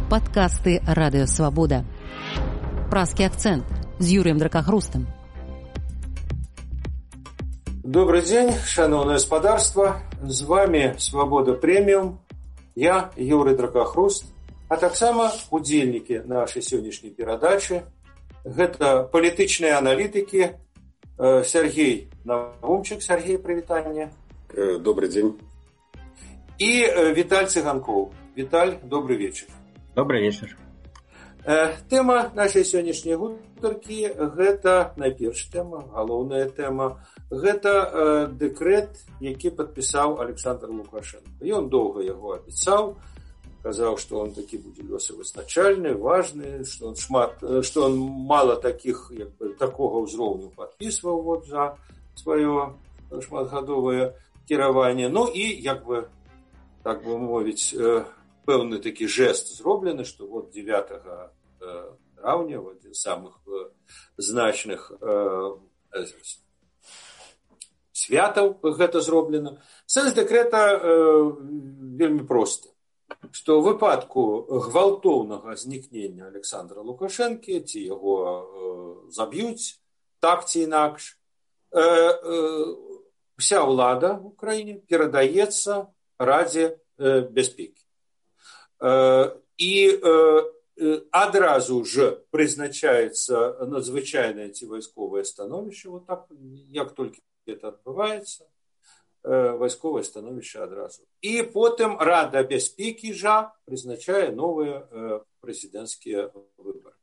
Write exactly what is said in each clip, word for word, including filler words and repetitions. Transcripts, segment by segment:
Падкасты Радыёвабода. Празкі акцэнт з Юрыем Дракахрустам. Добрый день, шановное господарство. З вами Свобода Премиум. Я Юрий Дракахруст. А таксама удзельнікі нашай сённяшняй перадачы. Гэта палітычныя аналітыкі Сергей Навумчик. Сергей, привитание. Добрый день. И Виталь Цыганков. Виталь, добрый вечер. Добрый вечер. Тэма нашай сённяшняй гутаркі гэта найперш тэма, галоўная тэма. Гэта дэкрэт, які падпісаў Александр Лукашенко. Ён доўга яго абяцаў, казаў, што он такі будзе лёсавызначальны, важны, што он шмат, што он мала такіх як бы такога ўзроўню падпісваў вот за сваё шматгадовае кіраванне. Ну і як бы так бы мовіць, пэўны такі жэст зроблены, што вот дзевятага траўня, адзін з самых значных святаў гэта зроблена. Сэнс дэкрэта вельмі просты, што ў выпадку гвалтоўнага знікнення Александра Лукашэнкі ці яго заб'юць так ці інакш, вся ўлада ў краіне перадаецца Радзе бяспекі. І адразу ж прызначаецца надзвычайнае ці вайсковае становішча, вот так, як толькі это адбываецца, вайсковае становішча адразу. І потым Рада бяспекі жа прызначае новыя прэзідэнцкія выбары.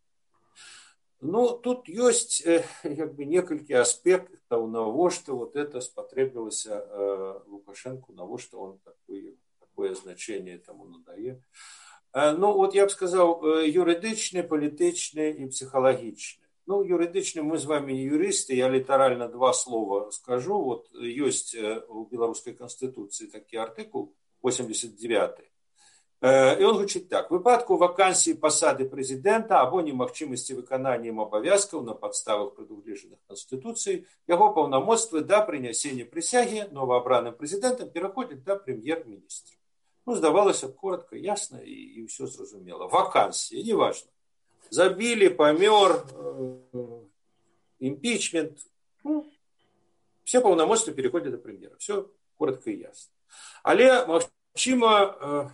Ну, тут ёсць як бы некалькі аспектаў, навошта вот это спатрэбілася Лукашенку, навошта он такое, такое значение таму надае. Ну, вот я б сказаў, юрыдычны, палітычны і псіхалагічны. Ну, юрыдычны, мы з вами не юрысты, я літаральна два слова скажу. Вот ёсць у беларускай канстытуцыі такі артыкул восемьдесят девятый. І он гучыць так: в выпадку вакансіі пасады прэзідэнта або немагчымасці выканання ім абавязкаў на падставах прадугледжаных канстытуцыяй, яго паўнамоцтвы да прынясення прысягі новаабраным прэзідэнтам пераходзяць да прэм'ер-міністра. Ну, здавалася б, коротко, ясно и, и все зразумело. Вакансия, неважно. Забили, помер, э, импичмент. Ну, все полномочия переходят до премьера. Все коротко и ясно. Але, магчыма, э,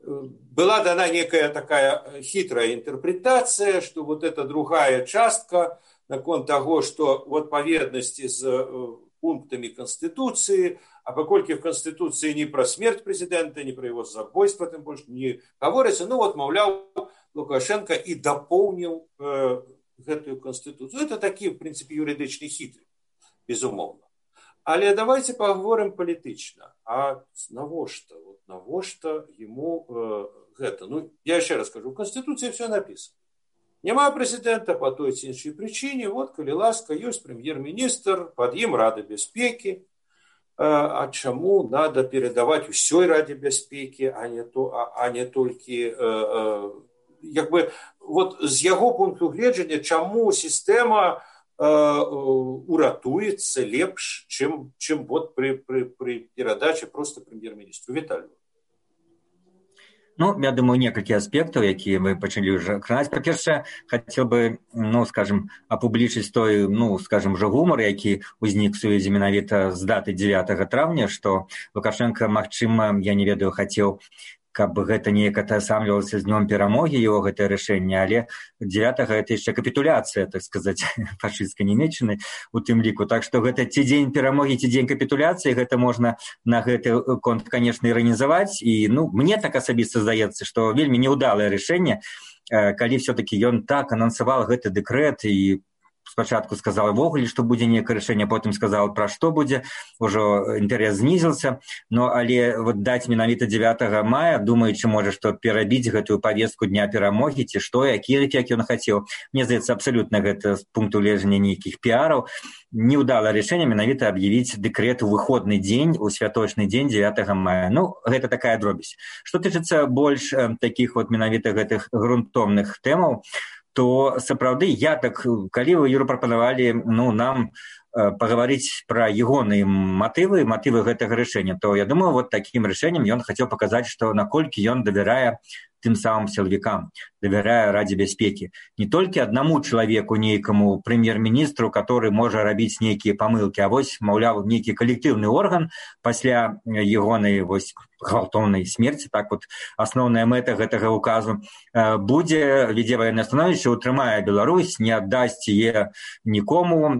была дана некая такая хитрая интерпретация, что вот эта другая частка наконт того, что в адпаведнасці з э, пунктами Конституции, а паколькі в Конституции не про смерть президента, не про его забойство, тем больше не говорится, ну вот, маўляў, Лукашенко и дополнил э, гэтую Конституцию. Это такие, в принципе, юридичные хитры, безумовно. Але давайте поговорим палітычна. А навошта? Вот навошта ему э, гэта? Ну, я еще раз скажу, в Конституции все написано. Няма президента по той ці іншай причине, вот, калі ласка, ёсць премьер-министр, под ім Рада бяспекі. А чаму надо передавать усёй Раде бяспекі, а не то, а, а не толькі, э, э, як бы, вот з яго пункту гледжання, чаму сістэма э, уратуецца лепш, чым, чым вот при, при, при перадаче просто премьер-министру. Віталію. Ну, я думаю, некалькі аспектаў, якія мы пачалі ўжо кранаць. Па-першае, хацеў бы, ну, скажем, апублічыць той, ну, скажем, жа гумар, які ўзнік у сувязі менавіта з даты дзевятага траўня, што Лукашенко, магчыма, я не ведаю, хацеў, каб гэта неяк атасамлівалася з днём перамогі яго гэтае рашэнне, але дзевятага гэта яшчэ капітуляцыя, так сказаць, фашысцкай Нямецчыны у тым ліку. Так што гэта ці дзень перамогі, ці дзень капітуляцыі, гэта можна на гэты конт, канешне, іранізаваць. І, ну, мне так асабіста здаецца, што вельмі неўдалае рашэнне, калі все-таки ён так анансаваў гэты дэкрэт і спачатку сказал ввогуле, што будзе некае рашэнне, потым сказал, пра што будзе, ужо інтарэс знізіўся. Но але вот даць менавіта дзевятага мая, думаючы, можа, што перабіць гэтую павестку дня перамогі, ці што, які эфект ён хацеў. Мне здаецца, абсалютна гэта з пункту гледжання нейкіх піараў. Неўдалае рашэнне менавіта аб'явіць дэкрэт у выходны дзень, у святочны дзень дзевятага мая. Ну, гэта такая дробязь. Што тычыцца больш э, такіх вот менавіта гэтых грунтоўных тэмаў, то сапраўды я так, калі вы, Юра, прапанавалі, ну, нам э, пагаварыць пра ягоныя матывы, матывы гэтага рашэння, то я думаю, вот такім рашэннем ён хацеў паказаць, што наколькі ён давярае тым самым сілавікам, давярае Радзе бяспекі. Не толькі аднаму чалавеку, нейкаму прэм'ер-міністру, который можа рабіць нейкія памылкі, а вось, маўляў, нейкі калектыўны орган пасля ягонай вось гвалтоўнай смерці, так вот асноўная мэта гэтага указу, будзе, вядзе ваеннае становішча, утрымае Беларусь, не аддасць яе нікому,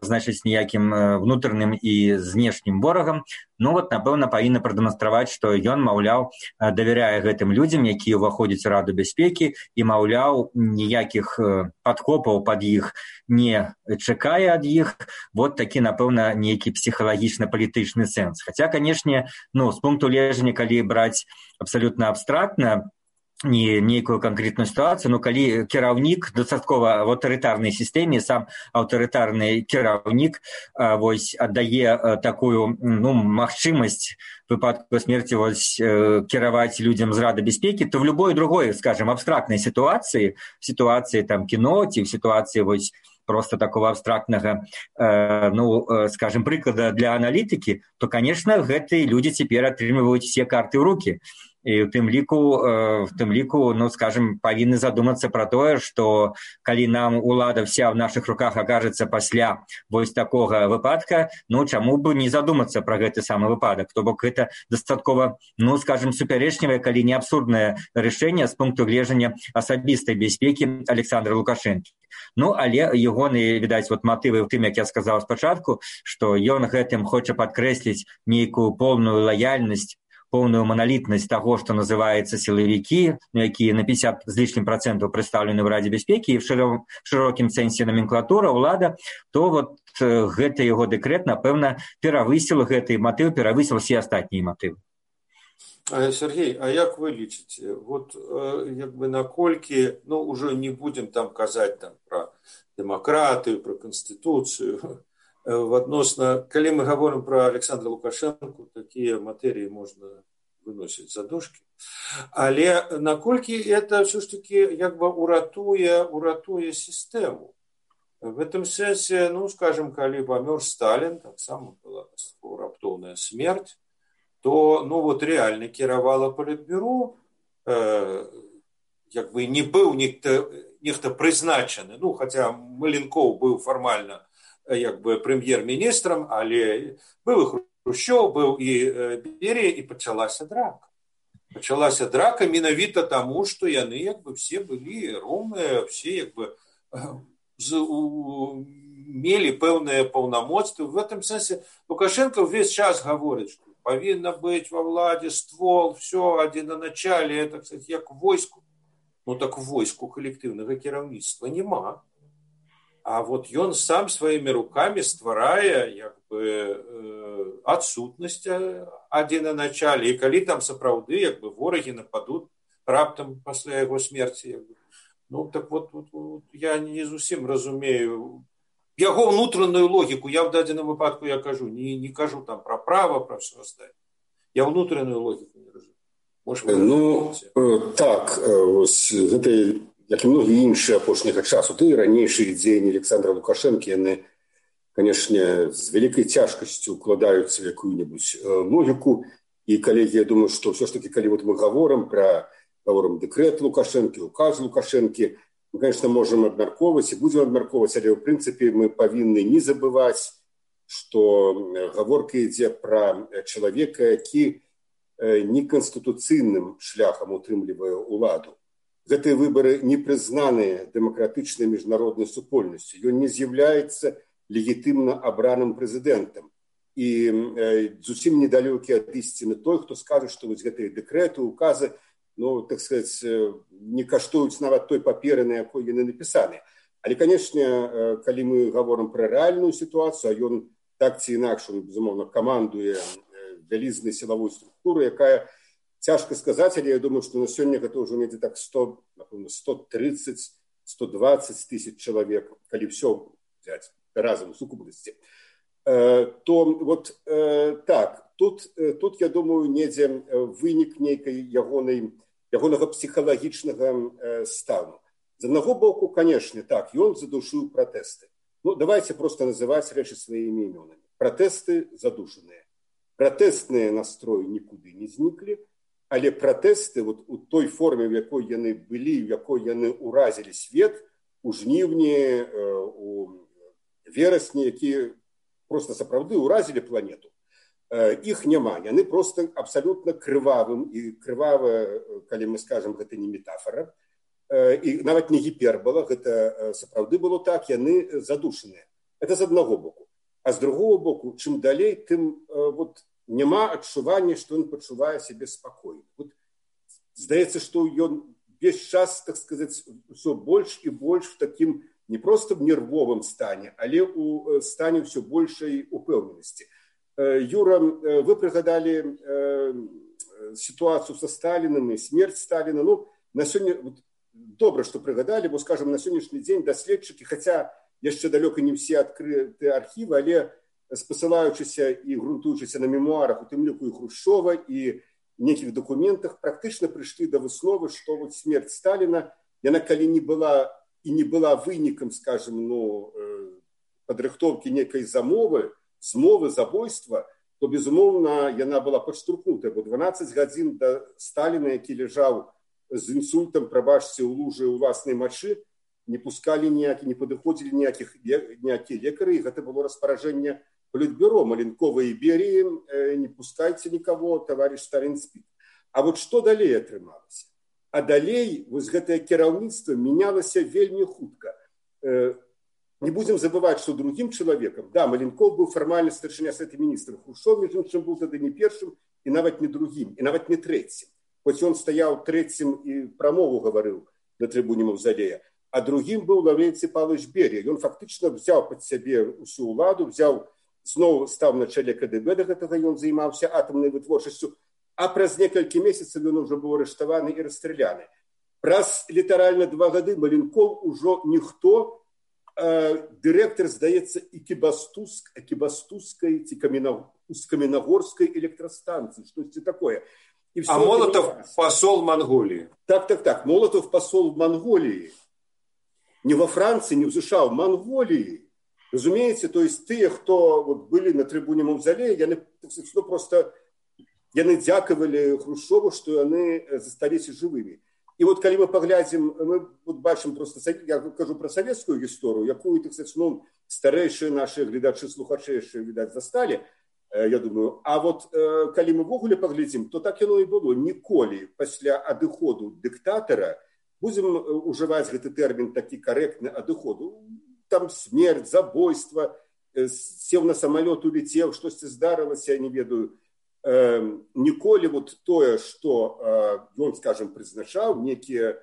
значыць, ніякім внутреннім і знешнім ворагам. Ну вот, напэўна, павінна прадэманстраваць, што ён, маўляў, давяряе гэтым людзям, якія ўваходзяць у Раду бяспекі, і, маўляў, ніякіх падкопаў пад іх не чакае ад іх. Вот такі, напэўна, нейкі псіхалагічна-палітычны сэнс. Хаця, канешне, ну, з пункту гледжання, калі браць абсалютна абстрактна, не нейкую канкрэтную сітуацыю, но калі кіраўнік дастаткова в аўтарытарнай сістэме, сам аўтарытарны кіраўнік вось аддае такую, ну, магчымасць выпадку смерці вось кіраваць людзям з Рады бяспекі, то в любой другой, скажем, абстрактнай сітуацыі, сітуацыі там кіно ці в сітуацыі вось просто такого абстрактнага, э, ну, э, скажем, прыклада для аналітыкі, то, конечно, гэтыя людзі цяпер атрымліваюць все карты ў рукі. І ў тым ліку, э, в тым ліку, ну, скажем, павінны задумацца пра тое, што калі нам улада вся ў нашых руках акажацца пасля вось такога выпадка, ну, чаму бы не задумацца пра гэты самы выпадак? То бок гэта дастаткова, ну, скажем, супярэчлівае, калі не абсурднае рашэнне з пункту гледжання асабістай бяспекі Александра Лукашэнкі. Ну, але ягоны, відаць, вот матывы ў тым, як я сказаў спачатку, што ён гэтым хоча падкрэсліць нейкую поўную лаяльнасць, поўную маналітнасць таго, што называецца сілавікі, якія на пятьдесят з лішнім працэнтаў прадстаўлены ў Радзе бяспекі і в шырокім сэнсе номенклатура, ўлада, то вот гэты яго дэкрэт, напэўна, перавысіл гэты матыў, перавысіл все астатнія матывы. Сергей, а як вы лічыце, вот як бы наколькі, ну, уже не будем там казаць там пра дэмакратыю, пра канстытуцыю, адносна, калі мы гаворым пра Александра Лукашэнку, такія матэрыі можна выносіць за дужкі, але наколькі это все ж таки як бы уратуе, уратуе сістэму. В этом сэнсе, ну, скажем, калі памёр Сталін, таксама была раптоўная смерць, то, ну, вот реально кіравала Палітбюро, э, як бы не быў нехта, нехта прызначаны, ну, хаця Маленкоў быў фармальна як бы прэм'ер-міністрам, але быў і Хрушчоў, быў і Берія, і пачалася драка. Пачалася драка менавіта таму, што яны як бы все былі роўныя, все як бы з, у, мелі пэўныя паўнамоцтвы. В этом сэнсе Лукашенко ўвесь час гаворыць, што павінна быць ва ўладзе ствол, все, адзінаначалле, так сказать, як войску. Ну так войску калектыўнага кіраўніцтва няма. А вот ён сам сваімі рукамі стварае як бы э, адсутнасць адзінаначалле. І калі там сапраўды як бы ворагі нападуць раптам пасля яго смерці, як бы, ну так вот, вот, вот я не зусім разумею яго ўнутраную логіку. Я в дадзеным выпадку я кажу, не, не кажу там пра права, пра все астатняе. Я ўнутраную логіку не разумею. Может, ну, э, так, э, гэта як і многія іншыя апошняга часу, ты ранейшыя дзеянні Александра Лукашэнкі, яны, канешне, з вялікай цяжкасцю укладаюцца в якую-небудзь логіку. І, калегі, я думаю, што ўсё ж такі, калі вот мы гаворым пра гаворым дэкрэт Лукашэнкі, указ Лукашэнкі, мы, конечно, можам абмяркоўваць і будзем абмяркоўваць, але, ў прынцыпе, мы павінны не забываць, што гаворка ідзе пра чалавека, які неканстытуцыйным шляхам утрымлівае ўладу. Гэтыя выбары не прызнаныя дэмакратычнай міжнароднай супольнасцю. Ён не з'яўляецца легітымна абраным прэзідэнтам. І э, зусім недалёкі ад ісціны той, хто скажа, што вось гэтыя дэкрэты, указы, ну, так сказаць, не каштуюць нават той паперы, на якой яны напісаны. Але, канешне, калі мы гаворым пра рэальную сітуацыю, а ён так ці інакш, он, безумоўна, камандуе вялізнай сілавой структуры, якая цяжка сказаць, але я думаю, што на сёння гэта ўжо недзе так сто, напэўна, сто тридцать - сто двадцать тысяч чалавек, калі ўсё взять разам у сукупнасці. Э, то вот э, так, тут, э, тут, я думаю, недзе вынік нейкай ягонай, ягонага псіхалагічнага э, стану. З аднаго боку, канешне, так, ён задушыў пратэсты. Ну, давайте просто называць рэчы сваімі імёнамі. Пратэсты задушаныя. Пратэстныя настроі нікуды не зніклі. але пратэсты вот, у той форме, в якой яны былі, в якой яны ўразілі свет, у жніўні, у верасні, які просто сапраўды ўразілі планету, іх няма. Яны просто абсалютна крывавым, і крывава, калі мы скажам, гэта не метафора, і нават не гіпербола, гэта сапраўды было так, яны задушаныя. Это з аднаго боку. А з другого боку, чым далей, тым вот, няма адчування, што ён пачувае сябе спакойна. Вот, здаецца, што ён весь час, так сказаць, ўсё больш і больш в такім не просто в нервовым стане, але у стане ўсё большай упэўненасці. Юра, вы прыгадалі сітуацыю са Сталіным і смерць Сталіна. Ну, на сёння вот, добра, што прыгадалі, бо, скажам, на сённяшні дзень даследчыкі, хаця яшчэ далёка не ўсе адкрыты архівы, але спасылаючыся і грунтуючыся на мемуарах, у тым ліку і Хрушчова, і нейкіх дакументах, практычна прыйшлі да высновы, што вот смерць Сталіна, яна калі не была і не была вынікам, скажем, ну, падрыхтоўкі нейкай замовы, змовы, забойства, то, безумоўна, яна была падштурхнутая, бо дванаццаць гадзін да Сталіна, які ляжаў з інсультам, прабачце, у лужы ўласнай мачы, не пускалі ніякі, не падыходзілі ніякіх, ніякія лекары, і гэта было распаражэнне Політбюро, Маленковой Іберіі, не пускайце нікаго, товарищ Сталін спіць. А вот што далей атрымалася? А далей вось гэтае кіраўніцтва мянялася вельмі хутка. Не будзем забываць, што другім чалавекам, да, Маленков быў фармальна старшыня Савета міністраў, Хрушчов, між іншым, быў тады не першым, і нават не другім, і нават не трэцім. Хоць ён стаяў трэцім і прамову гаварыў на трыбуне Маўзалея. А другім быў Лаўренцій Павлович Берія. Ён фактычна взяў пад сябе ўсю ўладу, взяў, зноў стаў на чале КДБ, да гэтага ён займаўся атамнай вытворчасцю, а праз некалькі месяцаў ён ужо быў арыштаваны і расстраляны. Праз літаральна два гады Маленков ужо ніхто, э, дырэктар, здаецца, Экібастузскай ці Каменагорскай электрастанцыі, штосьці такое. І а Молотов посол Монголии. Так, так, так. Молотов посол в Монголии. Не во Франции, не в США, в Монголии. Разумеете, то есть те, кто вот были на трибуне Мавзолея, яны, ну, просто яны дзякавалі Хрушчову, что яны засталіся живыми. И вот, когда мы поглядим, мы вот бачим просто, я кажу про советскую историю, якую, так сказать, ну, старейшие наши глядачи, слухачи еще, видать, застали, я думаю. А вот, когда мы в огуле поглядим, то так оно и было. Ніколі пасля адыходу диктатора, будем уживать этот термин таки корректно, адыходу, там смерть, забойство, сел на самолет, улетел, что-то здарилось, я не ведаю. Ніколі вот тое, что он, скажем, прызначаў, некие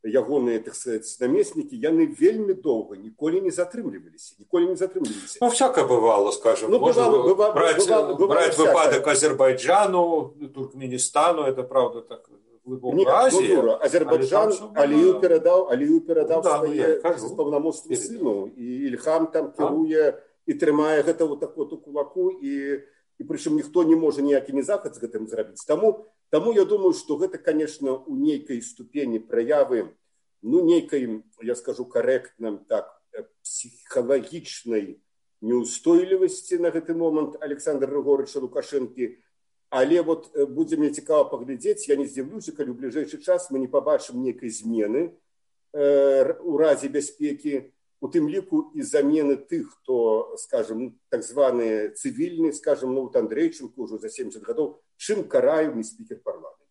ягоныя, так сказать, наместники, яны вельмі долго ніколі не затрымліваліся, ніколі не затрымліваліся. Ну, всякое бывало, скажем. Ну, можно бывало, бывало, брать, бывало, бывало брать всякое. выпадок Азербайджану, Туркменистану, это правда так глубоко Азия. Ну, Азербайджан Алію передав, Алію передав ну, да, своє ну, повномоцтво сину, і Ільхам там керує і тримає гэта вот так вот у кулаку, і і прычым ніхто не можа ніякі захад з гэтым зрабіць. Таму, таму я думаю, што гэта, конечно, у нейкай ступені праявы, ну, нейкай, я скажу карэктна, так, псіхалагічнай неустойлівасці на гэты момант Александра Григорьевича Лукашэнкі. Але вот будзе мне цікава паглядзець, я не здзіўлюся, калі ў бліжэйшы час мы не пабачым нейкай змены э, у разе бяспекі, у тым ліку і замены тых, хто, скажем, так званыя цывільныя, скажем, ну, вот Андрейченко ўжо за семьдесят гадоў, чым караю не спікер парламента.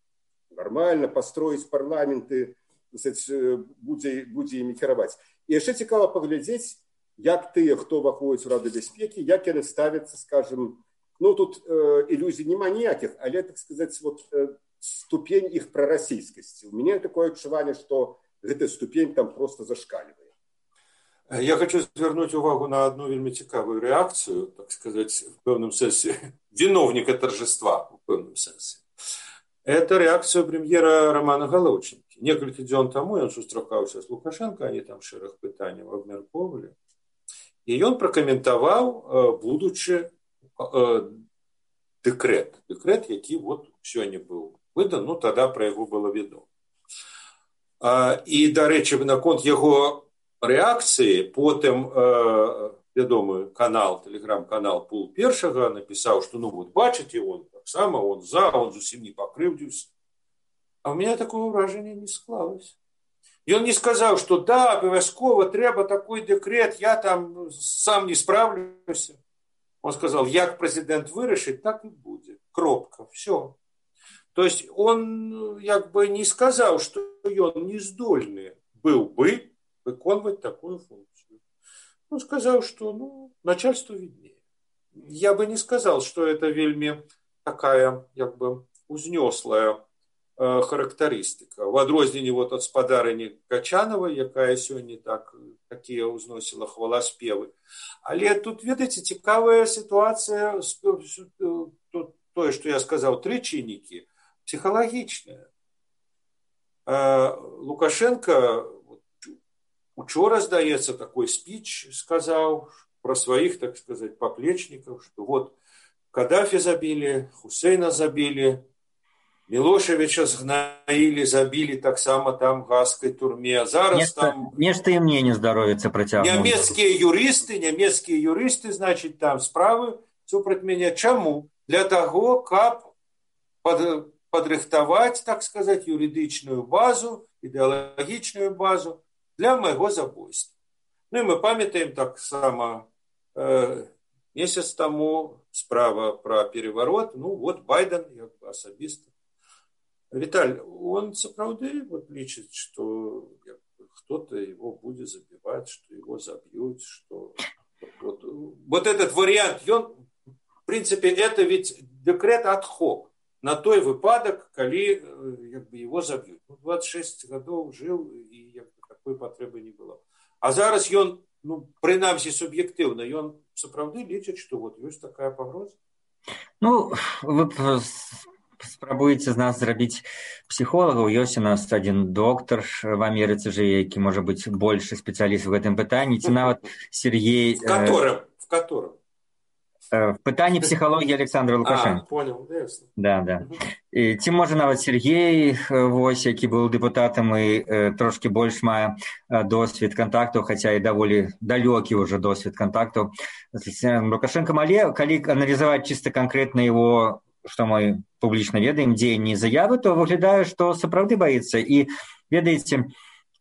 Нормально пастроіць парламенты, будзе, будзе імі кіраваць. І яшчэ цікава паглядзець, як тыя, хто ўваходзіць у Раду бяспекі, як яны ставяцца, скажем, ну, тут э, иллюзий нема ніякіх, але, так сказаць, вот, э, ступень іх прарасійскасці. У мяне такое адчуванне, што гэтая ступень там просто зашкаливает. Я хочу звернуть увагу на одну вельмі цікавую реакцию, так сказать, в певном сенсе, виновника торжества, в певном сенсе. Это реакция премьера Романа Галаўчынкі. Некалькі дзён таму ён сустракаўся з Лукашенко, они там шэраг пытанняў абмяркоўвалі. І ён пракаментаваў будучы дэкрэт. Дэкрэт, які вот сёння быў выдан, ну, тада пра яго было вядома. І, дарэчы, наконт яго реакції, потім э, вядомы канал, телеграм-канал Пул Першага напісаў, што, ну, вот, бачыце, он так само, он за, он зусім не пакрыўдзіўся. А у меня такого ўражання не склалось. Ён не сказаў, што да, абавязкова трэба такой дэкрэт, я там сам не справлюся. Он сказал, як прэзідэнт вырашыць, так і будзе. Кропка, все. То есть он як бы не сказал, что он не здольный был бы выконывать такую функцию. Он сказал, что ну, начальству виднее. Я бы не сказал, что это вельми такая як бы узнёслая э, характеристика. В адрозненне вот от спадарыні Качановой, якая сёння так такие узносила хваласпевы. Але тут, ведаеце, цікавая ситуация, то, что я сказал, три чинники, психологичная. Лукашенко учора, здаецца, такой спич сказал про своих, так сказать, поплечников, что вот Каддафи забили, Хусейна забили, Милошевича згнаили, забили так само там в гаагской турме. Зараз нешта, там... Нешта им не здоровится протягнуть. Немецкие юристы, немецкие юристы, значит, там справы супраць меня. Чему? Для того, как под, подрыхтовать, так сказать, юридичную базу, идеологичную базу для моего забойства. Ну и мы памятаем так само э, месяц тому справа про переворот. Ну вот Байден, я особисто. Виталь, он сапраўды вот лічыць, что кто-то его будет забивать, что его забьют, что вот, вот этот вариант, он, в принципе, это ведь декрет ад-хок на той выпадок, коли как бы, его забьют. Ну, двадцать шесть годов жил, и как бы, такой потребы не было. А зараз он, ну, принамсі субъективно, он сапраўды лічыць, что вот есть такая погроза. Ну, вы спрабуеце з нас зрабіць псіхолагаў. Ёсць у нас адзін доктар в Амерыцы жыве, які можа быць большы спецыяліст в гэтым пытанні, ці нават Сергей... В котором? В котором? В пытанні псіхалогіі Александра Лукашенко. А, понял, ясно. Да, да. І, ці можа нават Сергей, вось, які быў дэпутатам і э, трошки больш мае досвед кантактаў, хаця і даволі далёкі ўжо досвед кантактаў з Лукашенком, але калі аналізаваць чыста канкрэтна его, што мы публічна ведаем, дзеянні і заявы, то выглядае, што сапраўды баіцца. І ведаеце,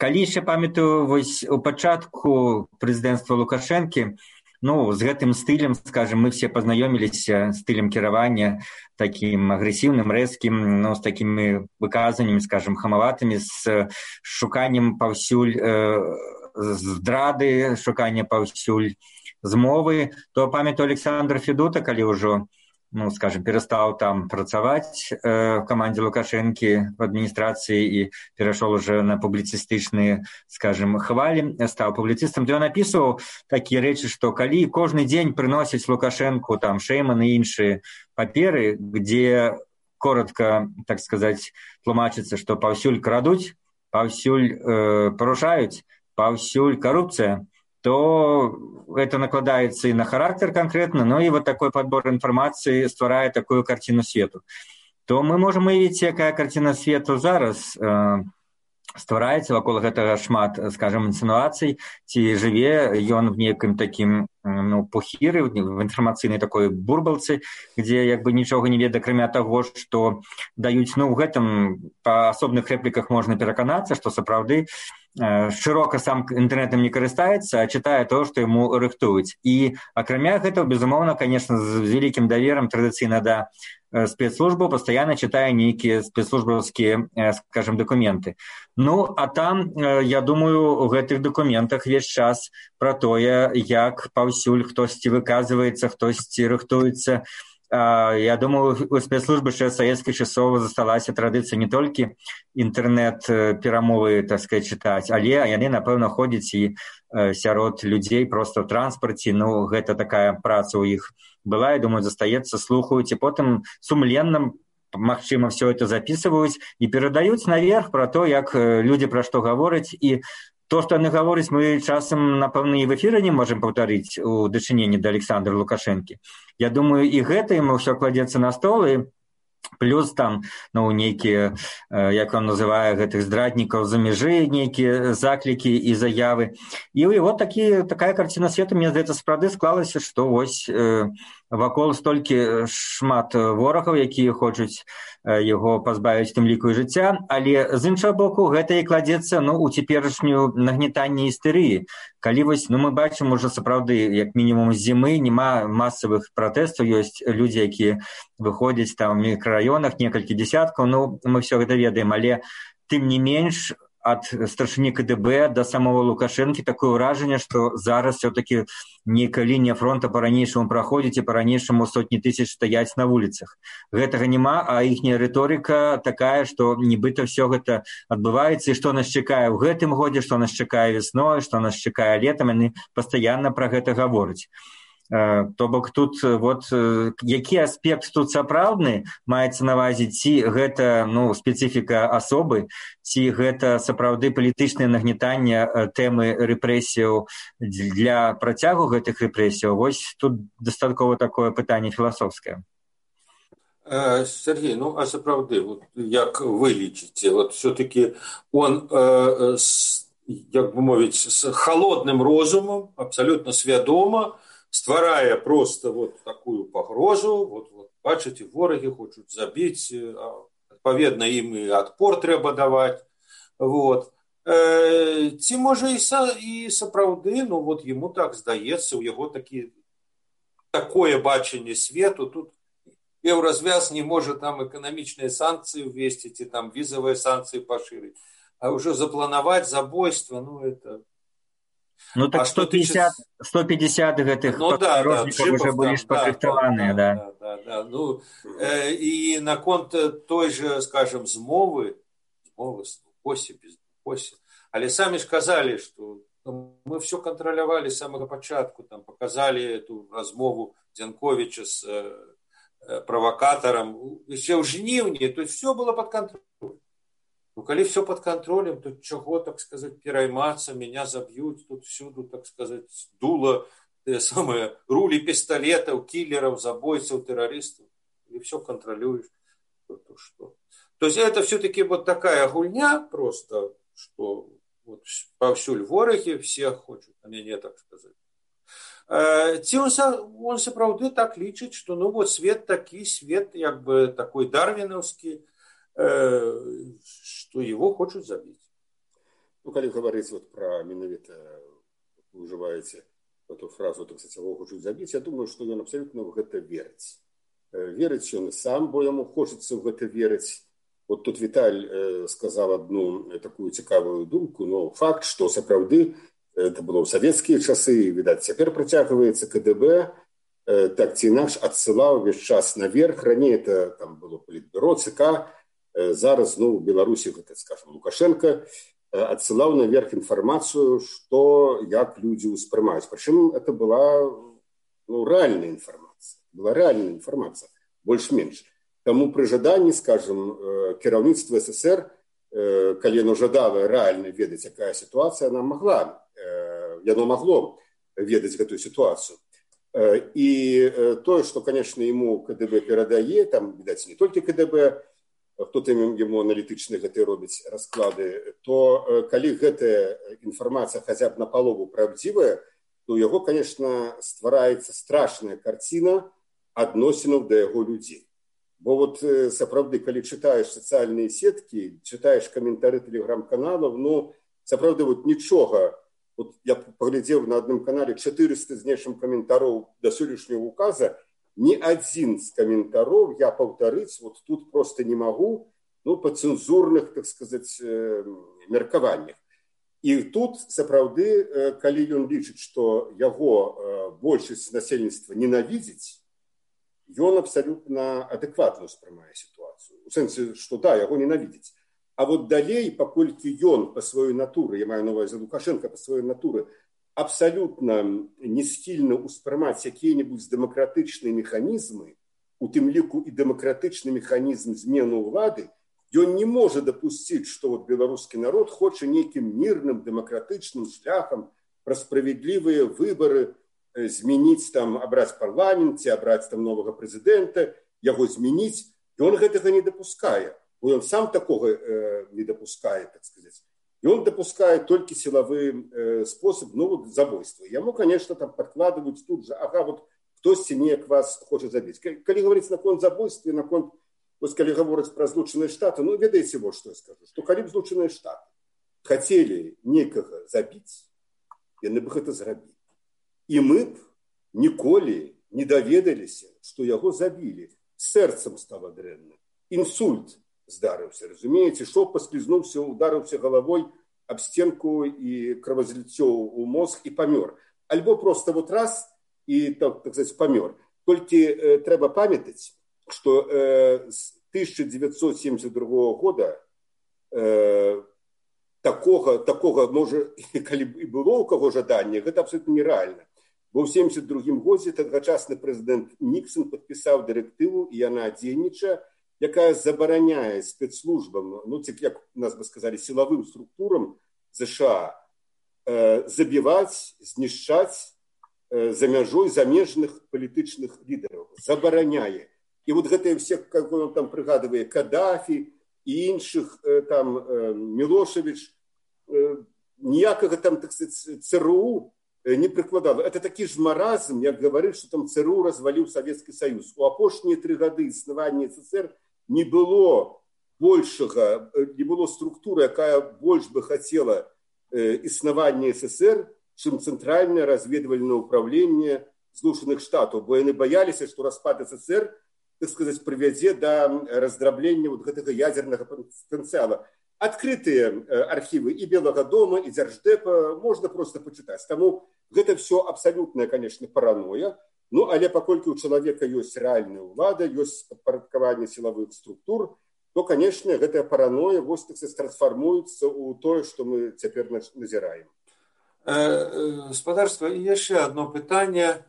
калі яшчэ памятаю, вось у пачатку прэзідэнцтва Лукашэнкі, ну, з гэтым стылем, скажем, мы все пазнаёміліся стылем кіравання, таким агрэсіўным, рэзкім, ну, з такімі выказаннямі, скажем, хамаватымі, з шуканнем паўсюль э, здрады, шуканне паўсюль змовы, то памятаю Александр Федута, калі ўжо, ну, скажем, перестал там працаваць э, в команде Лукашенки в администрации и перешел уже на публицистичные, скажем, хвали, стал публицистом, то он написывал такие речи, что калі кожны день приносить Лукашенку там Шейман и іншие паперы, где коротко, так сказать, тлумачится, что паўсюль крадуць, паўсюль э, парушаюць, паўсюль коррупция, то это накладается и на характер конкретно, но и вот такой подбор информации стварае такую картину свету. То мы можем уявіць, якая картина свету зараз э, ствараецца вакол гэтага шмат, скажем, інсінуацый, ці жыве ён в некім такім, ну, пухіры, в інфармацыйнай такой бурбалцы, где як бы нічога не ведае, акрамя таго, што даюць, ну, в гэтым па асобных рэпліках можна пераканацца, што сапраўды шырока сам інтэрнэтам не карыстаецца, а чытае то, што яму рыхтуюць. І акрамя гэтага, безумоўна, конечно, з вялікім даверам традыцыйна да спецслужбаў пастаянна чытае нейкія спецслужбаўскія, скажем, дакументы. Ну, а там, я думаю, у гэтых дакументах весь час пра тое, як паўсюль хтосьці выказваецца, хтосьці рыхтуецца. Я думаю, у спецслужбы ще савецкіх часоў засталася традыцыя не толькі інтэрнэт-перамовы, так сказать, чытаць, але яны, напэўна, ходзяць і сярод людзей проста ў транспарце. Ну, гэта такая праца ў іх была, я думаю, застаецца, слухаюць, і потым сумленна, магчыма, все это записываюць і перадаюць наверх пра то, як людзі пра што гавораць. І то, што яны гавораць, мы часам, напэўна, і в эфіры не можам паўтарыць у дачыненні да Александра Лукашэнкі. Я думаю, і гэта ему ўсё кладзецца на стол, і плюс там, ну, нейкія, як он называе гэтых здраднікаў за мяжы, нейкія заклікі і заявы. І вот такі, такая карціна свету, мне здаецца, сапраўды склалася, што вось э, вакол столькі шмат ворагаў, якія хочуць яго пазбавіць тым ліку і жыцця, але з іншага боку гэта і кладзецца, ну, у цяперашнюю нагнетанне істэрыі. Калі вось, ну, мы бачым уже сапраўды, як мінімум з зімы, нема масавых пратэстаў, ёсць людзі, якія выходзяць там у мікрараёнах, некалькі дзесяткаў, ну, мы все гэта ведаем, але тым не менш ад старшыні КДБ да самого Лукашэнкі такое ўражанне, што зараз все-таки нейкая лінія фронта па-ранейшаму праходзіць і па-ранейшаму сотні тысяч стаяць на вуліцах. Гэтага няма, а іхняя рыторыка такая, што нібыта все гэта адбываецца, і што нас чакае ў гэтым годзе, што нас чакае весной, што нас чакае летам, яны пастаянна пра гэта гавораць. То бок тут вот які аспект тут сапраўдны маецца на ўвазе, ці гэта, ну, спецыфіка асобы, ці гэта сапраўды палітычнае нагнетанне тэмы рэпрэсіяў для працягу гэтых рэпрэсіяў, вось тут дастаткова такое пытанне філасофскае. Сергей, ну а сапраўды, вот, як вы лічыце, вот все-таки он э, с, як бы мовіць, с холодным розумам, абсолютно свядома стварае просто вот такую пагрозу, вот, вот бачыце, ворагі хочуць забіць, адпаведна ім і адпор трэба даваць. Вот. Э, ці можа і, са, і сапраўды, ну вот яму так здаецца, у яго такі, такое бачанне свету, тут еўразвяз не можа там эканамічныя санкцыі ўвесці, ці там візавыя санкцыі пашырыць, а ўжо запланаваць забойства, ну это... Ну так сто пятьдесят, сто пятьдесят гэтых ну, да, да, уже были спадрыхтаваныя, да. Да, да, да. Ну, э, і наконт той же, скажем, змовы, змовы, посе, без посе, але самі ж казалі, што ну, мы все кантралявалі з самага пачатку, там показалі эту размову Дзянковіча з э, правакатарам, яшчэ ў жніўні, то есть все было под контролем. Ну, калі все под контролем, то чего, так сказать, пераймацца, меня забьют, тут всюду, так сказать, дуло, те самые рули пистолетов, киллеров, забойцев, террористов, и все контролируешь. То, то, что. То есть это все-таки вот такая гульня просто, что вот повсюль вораги, все хочут на меня, так сказать. Ці он, он сапраўды так лічыць, что ну вот свет такі, свет як бы такой дарвиновский, что его хочуць забіць. Ну, калі гаварыць вот пра менавіта, вы ўжываеце эту фразу, так сказать, его хочуць забіць, я думаю, што ён абсолютно в гэта верыць. Верыць ён сам, бо яму хочацца в гэта верыць. Вот тут Віталь э, сказаў одну такую цікавую думку, но факт, што сапраўды это было ў савецкія часы, відаць, цяпер працягваецца КДБ, э, так ці інакш адсылаў увесь час наверх. Раней это там было палітбюро, ЦК, зараз, ну, в Беларусі, гэта, скажем, Лукашенко адсылаў наверх інфармацыю, што як людзі ўспрымаюць. Прычым это была, ну, рэальная інфармацыя. Была рэальная інфармацыя, больш-менш. Таму пры жаданні, скажем, кіраўніцтва СССР, калі яно жадала рэальна ведаць, якая сітуацыя, яна магла, яно магло ведаць гэтую сітуацыю. І тое, што, конечно, ему КДБ перадае, там, відаць, не толькі КДБ, хто там яму аналітычна гэты робіць расклады, то калі гэтая інфармацыя хаця б напалову правдзівая, то у яго, конечно, ствараецца страшная карціна адносінаў да яго людзей. Бо вот сапраўды, калі чытаеш сацыяльныя сеткі, чытаеш каментары тэлеграм-каналаў, ну, сапраўды, вот нічога. Вот я паглядзеў на адным канале чатырыста з нечым каментароў да сённяшняга указа, ни один з каментаров я паўтарыць вот тут просто не могу, ну, по цензурных, так сказать, меркаваннях. И тут, сапраўды, калі ён лічыць, што яго большасць насельніцтва ненавідзіць, ён абсолютно адэкватна ўспрымае сітуацыю. У сэнсе, што да, яго ненавідзіць. А вот далей, паколькі ён па сваёй натуры, я маю на ўвазе Лукашенко па сваёй натуры, абсолютно не схільны ўспрымаць якія-небудзь дэмакратычныя механізмы, у тым ліку і дэмакратычны механізм змены ўлады, ён не можа дапусціць, што вот беларускі народ хоча нейкім мірным дэмакратычным шляхам пра справядлівыя выбары змяніць там, абраць парламент, ці абраць там новага прэзідэнта, яго змяніць. І он гэтага не дапускае. Он сам такога э, не дапускае, так сказаць. И он допускает только силовой э, способ, ну, вот, забойства. Ему, конечно, там подкладывают тут же, ага, вот кто-то неяк вас хочет забить. Когда говорится на конт забойства, на конт, вот, когда говорится про Злученные Штаты, ну, ведаете вот, что я скажу, что когда Злученные Штаты хотели некого забить, яны бы это зрабілі. И мы б николи не доведались, что его забили. Сердцем стало дрэнна. Инсульт здарыўся, разумееце, шоп паслізнуўся, ударыўся головой об стенку и кровозліццё у мозг и помер. Альбо просто вот раз и, так, так сказать, помер. Только э, трэба памятаць, что э, с тысяча девятьсот семьдесят другого года э, такого, такого, может, калі и было у кого жаданне, это абсолютно нереально. Бо ў семьдесят другім годзе тагачасны прэзідэнт Ніксон падпісаў дырэктыву, і яна дзейнічае, якая забараняе спецслужбам, ну, як нас бы сказали, силовым структурам США э, забивать, знішчаць э, за мяжой замежных палітычных лідараў. Забараняе. І вот гэтыя все, как он там прыгадывае, Каддафі і іншых, э, там, э, Мілошевіч, э, ніякага там, так сказать, ЦРУ не прыкладала. Это такі ж маразм, як гаварыць, што там ЦРУ разваліў Савецкі Саюз. У апошнія тры гады існавання СССР не было большего, не было структуры, якая больше бы хотела э, існавання СССР, чем Центральное разведывательное управление Злученых Штатов. Бо яны боялись, что распад СССР, так сказать, приведет до раздробления вот этого ядерного потенциала. Открытые э, архивы и Белого дома, и Держдепа можно просто почитать. Тому это все абсолютная, конечно, паранойя. Ну, але паколькі у чалавека ёсць рэальная ўлада, ёсць падпарадкаванне сілавых структур, то, конечно, гэтая параноя вось так трансфармуецца ў тое, што мы цяпер назіраем. Спадарства, і яшчэ одно пытанне,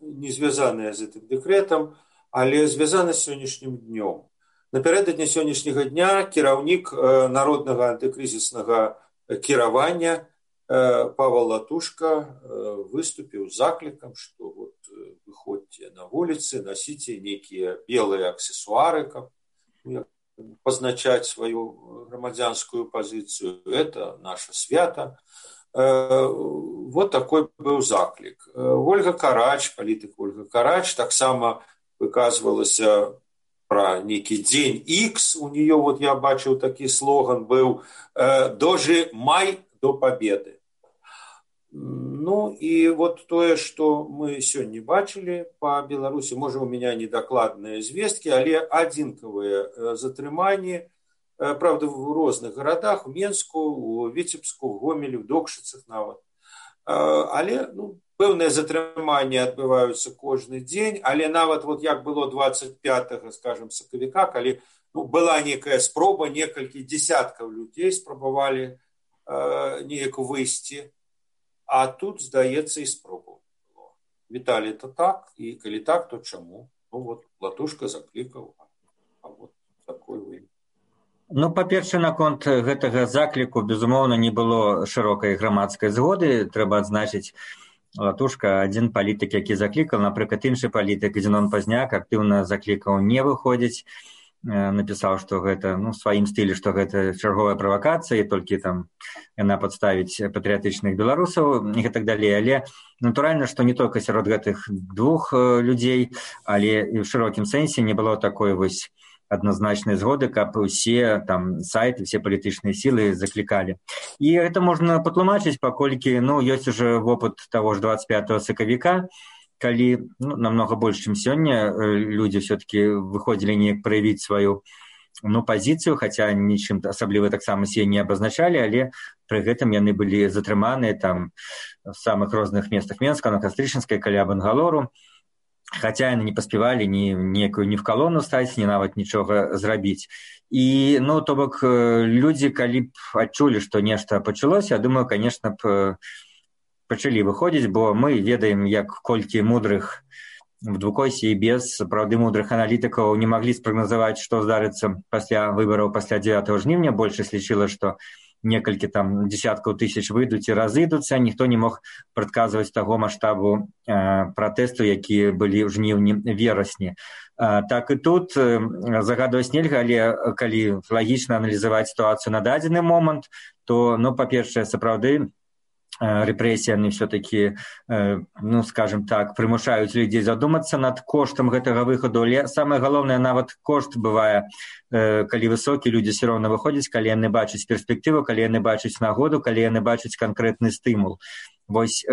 не звязанае з гэтым дэкрэтам, але звязана з сённяшнім днём. Напярэдадні сённяшняга дня кіраўнік народнага антыкрызіснага кіравання Павел Латушка выступил с закликом, что вот выходите на улицы, носите некие белые аксессуары, как позначать свою громадянскую позицию. Это наше свято. Вот такой был заклик. Ольга Карач, политик Ольга Карач, так само выказывалась про некий день X. У нее, вот я бачил, такой слоган был «Дожимай до победы». Ну, и вот то, что мы сегодня бачили по Беларуси, может, у меня недокладные звестки, але адзінкавыя затрыманні, правда, в разных городах, в Менску, у Витебску, в Гомеле, в Докшицах нават. Але, ну, пэўныя затрыманні адбываюцца кожны дзень, але нават вот як было двадцать пятого, скажем, сакавіка, калі ну, была некая спроба, некалькі десяткаў людзей спрабавалі э, неяк выйсці. А тут, здаецца, і спробу было. Віталій, это так, і калі так, то чаму? Ну вот, Латушка заклікаў, а вот такой вы. Ну, па-першае, наконт гэтага закліку, безумоўна, не было шырокай грамадскай згоды. Трэба адзначыць, Латушка адзін палітык, які заклікаў, напрыклад, іншы палітык Зенон Пазняк актыўна заклікаў не выходзіць, напісаў, што гэта, ну, в сваім стылі, што гэта чарговая правакацыя, і толькі там яна падставіць патрыятычных беларусаў і так далей. Але натуральна, што не толькі сярод гэтых двух людзей, але і ў шырокім сэнсе не было такой вось адназначнай згоды, каб усе там сайты, все палітычныя сілы заклікалі. І гэта можна патлумачыць, паколькі, ну, ёсць уже вопыт таго ж двадцать пятого сакавіка, калі ну, намного больше, чем сёння, люди все-таки выходили неяк проявить свою ну, позицию, хотя нічым асабліва таксама себе не абазначалі, але пры гэтым яны былі затрыманыя там в самых розных местах Менска, на Кастрычынскай, каля Бангалору, хотя яны не паспявалі ні некую ні в калону стаць, ні нават нічога зрабіць. І, ну, то бок, людзі, калі б адчулі, што нешта пачалося, я думаю, конечно б пачалі выходзіць, бо мы ведаем, як колькі мудрых в двукосе і без сапраўды мудрых аналітыкаў не маглі спрагназаваць, што здарыцца пасля выбараў пасля дзевятого жніўня. Большасць лічыла, што некалькі там десяткаў тысяч выйдуць і разыдуцца, ніхто не мог прадказваць таго маштабу э, пратэсту, якія былі ў жніўні-верасні. Э, так і тут э, загадваць нельга, але калі лагічна аналізаваць сітуацыю на дадзены момант, то, ну, па-першае, сапраўды, рэпрэсіямі все-таки, ну, скажем так, прымушаюць людзей задумацца над коштам гэтага выхаду, але самае галоўнае, нават кошт бывае, калі высокі, людзі все роўна выходзяць, калі яны бачаць перспектыву, калі яны бачаць нагоду, калі яны бачаць канкрэтны стымул. Вось,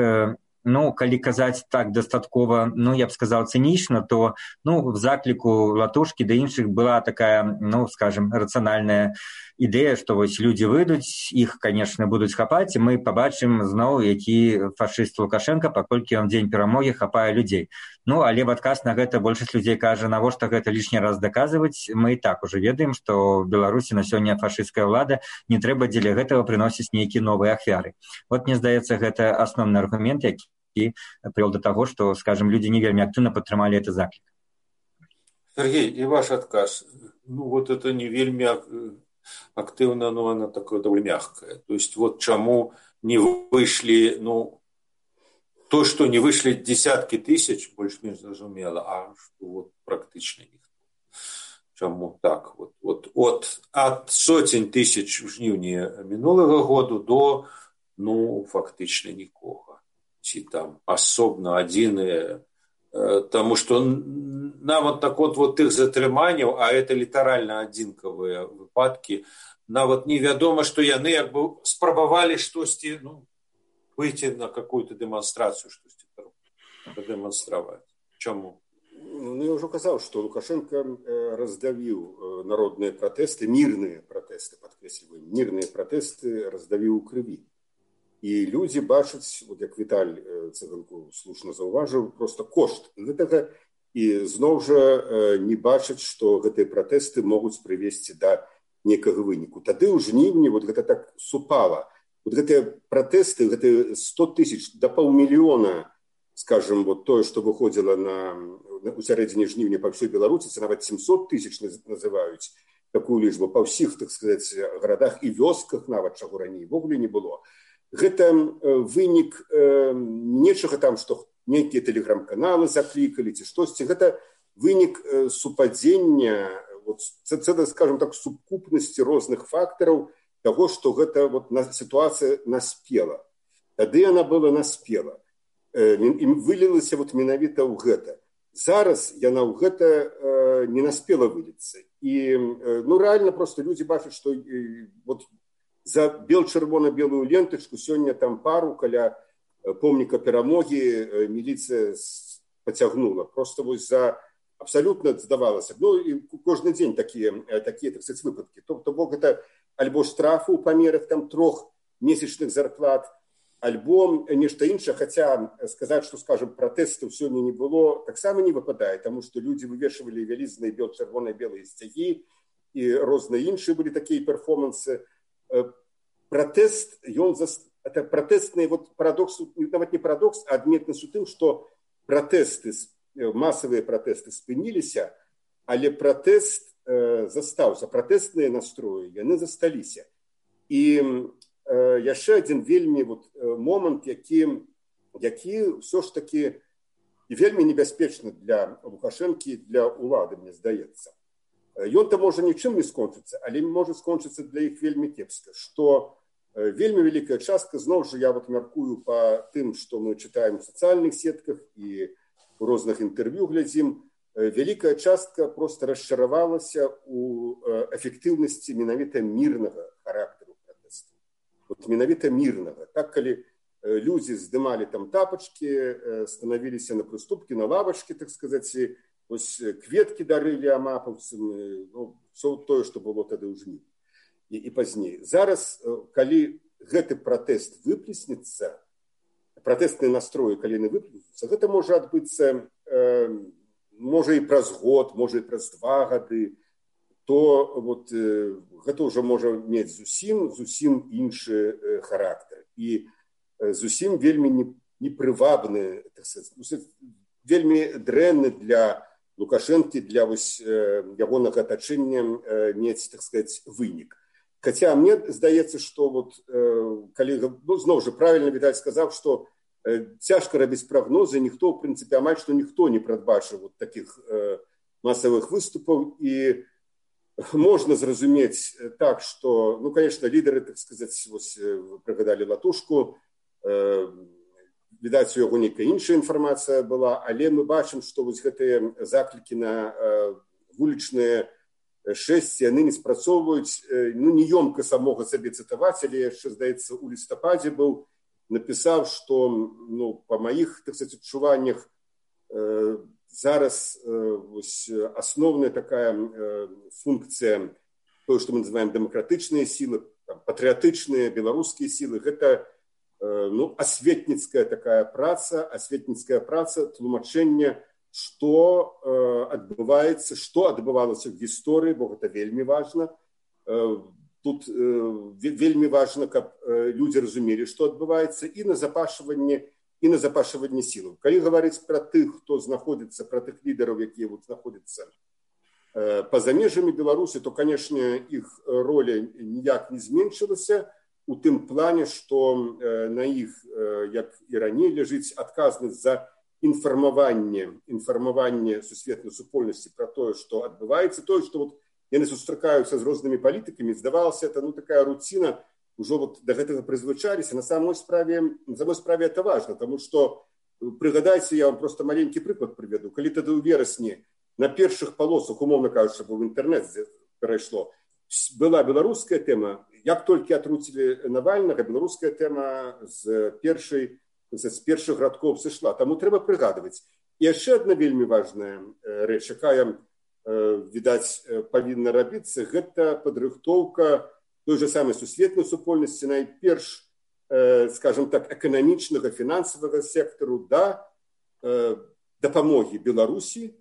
ну, калі казаць так дастаткова, ну, я б сказаў, цынічна, то, ну, в закліку Латушкі да іншых была такая, ну, скажем, рацыянальная ідэя, што вось людзі выйдуць, іх, конечно, будуць хапаць, і мы пабачым зноў, які фашыст Лукашенко, паколькі ён дзень перамогі хапае людзей. Ну, але в адказ на гэта большасць людзей кажа, навошта гэта лішні раз даказваць, мы і так уже ведаем, што ў Беларусі на сёння фашысцкая ўлада, не трэба дзеля гэтага прыносіць нейкія новыя ахвяры. Вот, мне здаецца, гэта асноўны аргумент, які і прывёў да таго, што, скажем, людзі не вельмі актыўна падтрымалі гэты заклік. Сергей, и ваш отказ, ну вот это не вельмі актыўна, но она такое довольно мягкое. То есть вот чему не вышли, ну, то, что не вышли десятки тысяч, больше-меньше зразумела, а что вот практично никто. Чему так? Вот, вот от, от сотен тысяч в жніўні минулого года до, ну, фактично никого. Ці там асобна адзіныя, таму што нават так от, вот тых затрыманняў, а это літаральна адзінкавыя выпадкі, нават невядома, што яны як бы спрабавалі штосьці, ну, выйти на какую-то дэманстрацыю, штосьці прадэманстраваць. Чаму? Ну, я ўжо казаў, што Лукашенко раздавіў народныя пратэсты, мірныя пратэсты, падкрэсліваем, мірныя пратэсты раздавіў у крыві. І людзі бачаць, вот як Віталь Цыганкоў слушна заўважыў, просто кошт гэтага, і зноў жа не бачаць, што гэтыя пратэсты могуць прывесці да некага выніку. Тады ў жніўні вот гэта так супала. Вот гэтыя пратэсты, гэтыя сто тысяч да паўмільёна, скажем, вот тое, што выходзіла на, у сярэдзіне жніўня па ўсёй Беларусі, нават семьсот тысяч называюць такую лічбу па ўсіх, так сказаць, гарадах і вёсках, нават чаго раней ввогуле не было. Гэта вынік э, нечага там, што нейкія тэлеграм-каналы заклікалі ці штосьці. Гэта вынік э, супадзення, вот, цэлай, скажем так, сукупнасці розных фактараў таго, што гэта вот, на, сітуацыя наспела. Тады яна была наспела. Э, і вылілася вот, менавіта ў гэта. Зараз яна ў гэта э, не наспела выліцца. І э, ну, рэальна проста людзі бачаць, што э, вот, за бел-чырвона-белую лентачку сёння там пару каля помніка перамогі міліцыя пацягнула. Просто вось за абсалютна здавалася. Ну, і кожны дзень такія, такія так сказаць, выпадкі. Тобто, бо гэта альбо штрафы ў памерах там трох месячных зарплат, альбо нешта іншае. Хаця сказаць, што, скажем, пратэстаў сёння не было, таксама не выпадае, таму што людзі вывешвалі вялізныя бел-чырвона-белыя сцягі, і розныя іншыя былі такія перформансы. Пратэст, ён за... это пратэстны вот парадокс, нават не парадокс, а адметнасць у тым, што пратэсты, масавыя пратэсты спыніліся, але пратэст э, застаўся, пратэстныя настроі, яны засталіся. І э, яшчэ адзін вельмі вот, момант, які, які ўсё ж такі вельмі небяспечны для Лукашэнкі, для ўлады, мне здаецца. Ён-то можа нічым не скончыцца, але можа скончыцца для іх вельмі кепска, што вельмі вялікая частка, зноў жа я вот мяркую па тым, што мы чытаем у сацыяльных сетках і у розных інтэрв'ю глядзім, вялікая частка проста расчаравалася ў эфектыўнасці менавіта мірнага характару пратэсту. Вот менавіта мірнага. Так, калі людзі здымалі там тапачкі, станавіліся на прыступкі, на лавачкі, так сказаць, ось кветкі дарылі амапаўцам, ну, все тое, што было тады ў жніўні і, і пазней. Зараз, калі гэты пратэст выплеснецца, пратэстныя настроі, калі яны выплеснуцца, гэта можа адбыцца, э, можа і праз год, можа і праз два гады, то вот, э, гэта ўжо можа мець зусім, зусім іншы э, характар. І э, зусім вельмі непрывабны, так сказаць, вельмі дрэнны для Лукашэнкі, для вось, ягонага атачэння мець, так сказаць, вынік. Хаця мне здаецца, што вот, калі, ну, зноў жа правільна, відаць, сказаў, што цяжка рабіць прагнозы, ніхто, в прынцыпе, амаль што ніхто не прадбачыў вот такіх масавых выступаў, і можна зразумець так, што, ну, конечно, лідары, так сказаць, вось, вы прыгадалі Латушку, відаць, у яго нейкая іншая інфармацыя была, але мы бачым, што вось гэтыя заклікі на вулічныя шэсці, яны не спрацоўваюць, ну, не ёмка самога сабе цытаваць, але яшчэ, здаецца, у лістападзе быў, напісаў, што, ну, па маіх, так сказаць, адчуваннях, э, зараз э, вось, асноўная такая э, функцыя, тое, што мы называем дэмакратычныя сілы, там, патрыятычныя, беларускія сілы, гэта э, ну, асветніцкая такая праца, асветніцкая праца, тлумачэнне, што э, адбываецца, што адбывалася ў гісторыі, бо гэта вельмі важна. Э, Тут э, вельмі важна, каб э, людзі разумелі, што адбываецца, і на запашванне, і на запашванне сілаў. Калі гаварыць пра тых, хто знаходзіцца, пра тых лідараў, якія вот знаходзяцца э, па-за межамі Беларусі, то, канешне, іх роля ніяк не зменшылася у тым плане, што э, на іх, э, як і раней, ляжыць адказнасць за інфармаванне, інфармаванне сусветнай супольнасці пра тое, што адбываецца, тое, што вот яны сустракаюцца з рознымі палітыкамі, здавалася, это, ну, такая руціна, ужо вот да гэтага прызвычаліся. На самой справе, на самой справе это важна, таму што, прыгадайце, я вам просто маленькі прыклад прыведу. Калі тады ў верасні на першых палосах, умоўна кажучы, бо в інтэрнэт перайшло, была беларуская тэма, як толькі атруцілі Навальнага, беларуская тэма з першай, з першых радкоў сышла. Таму трэба прыгадваць. І яшчэ адна вельмі важная рэч, якая, відаць, павінна рабіцца, гэта падрыхтоўка той же самай сусветнай супольнасці, найперш, скажем так, эканамічнага, фінансавага сектару да дапамогі Беларусі,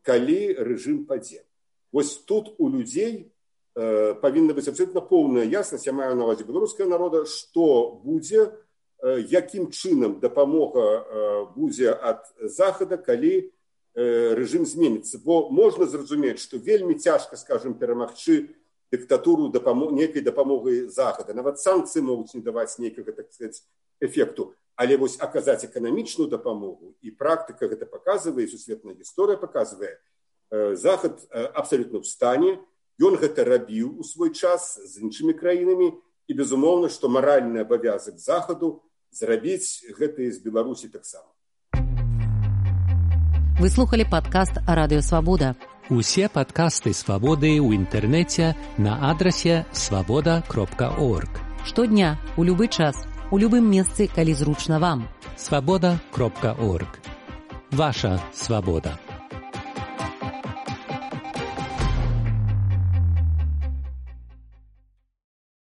калі рэжым падзе. Вось тут у людзей павінна быць абсолютна поўная яснасць, я маю на ўвазе беларускага народа, што будзе, якім чынам дапамога будзе ад захада, калі рэжым зменіцца. Бо можна зразумець, што вельмі цяжка, скажем, перамагчы дыктатуру дапамог, нейкай дапамогай захада. Нават санкцыі могуць не даваць нейкага, так сказаць, эфекту. Але вось аказаць эканамічную дапамогу, і практыка гэта паказвае, сусветная гісторыя паказвае, захад абсалютна ў стане, ён гэта рабіў у свой час з іншымі краінамі, і безумоўна, што маральны абавязак захаду зрабіць гэта і з Беларусі таксама. Вы слухали падкаст Радыё Свабода. Усе падкасты Свабоды ў інтэрнэце на адрасе свабода кропка орг. Штодня, у любы час, у любым месцы, калі зручна вам. свабода кропка орг. Ваша свабода.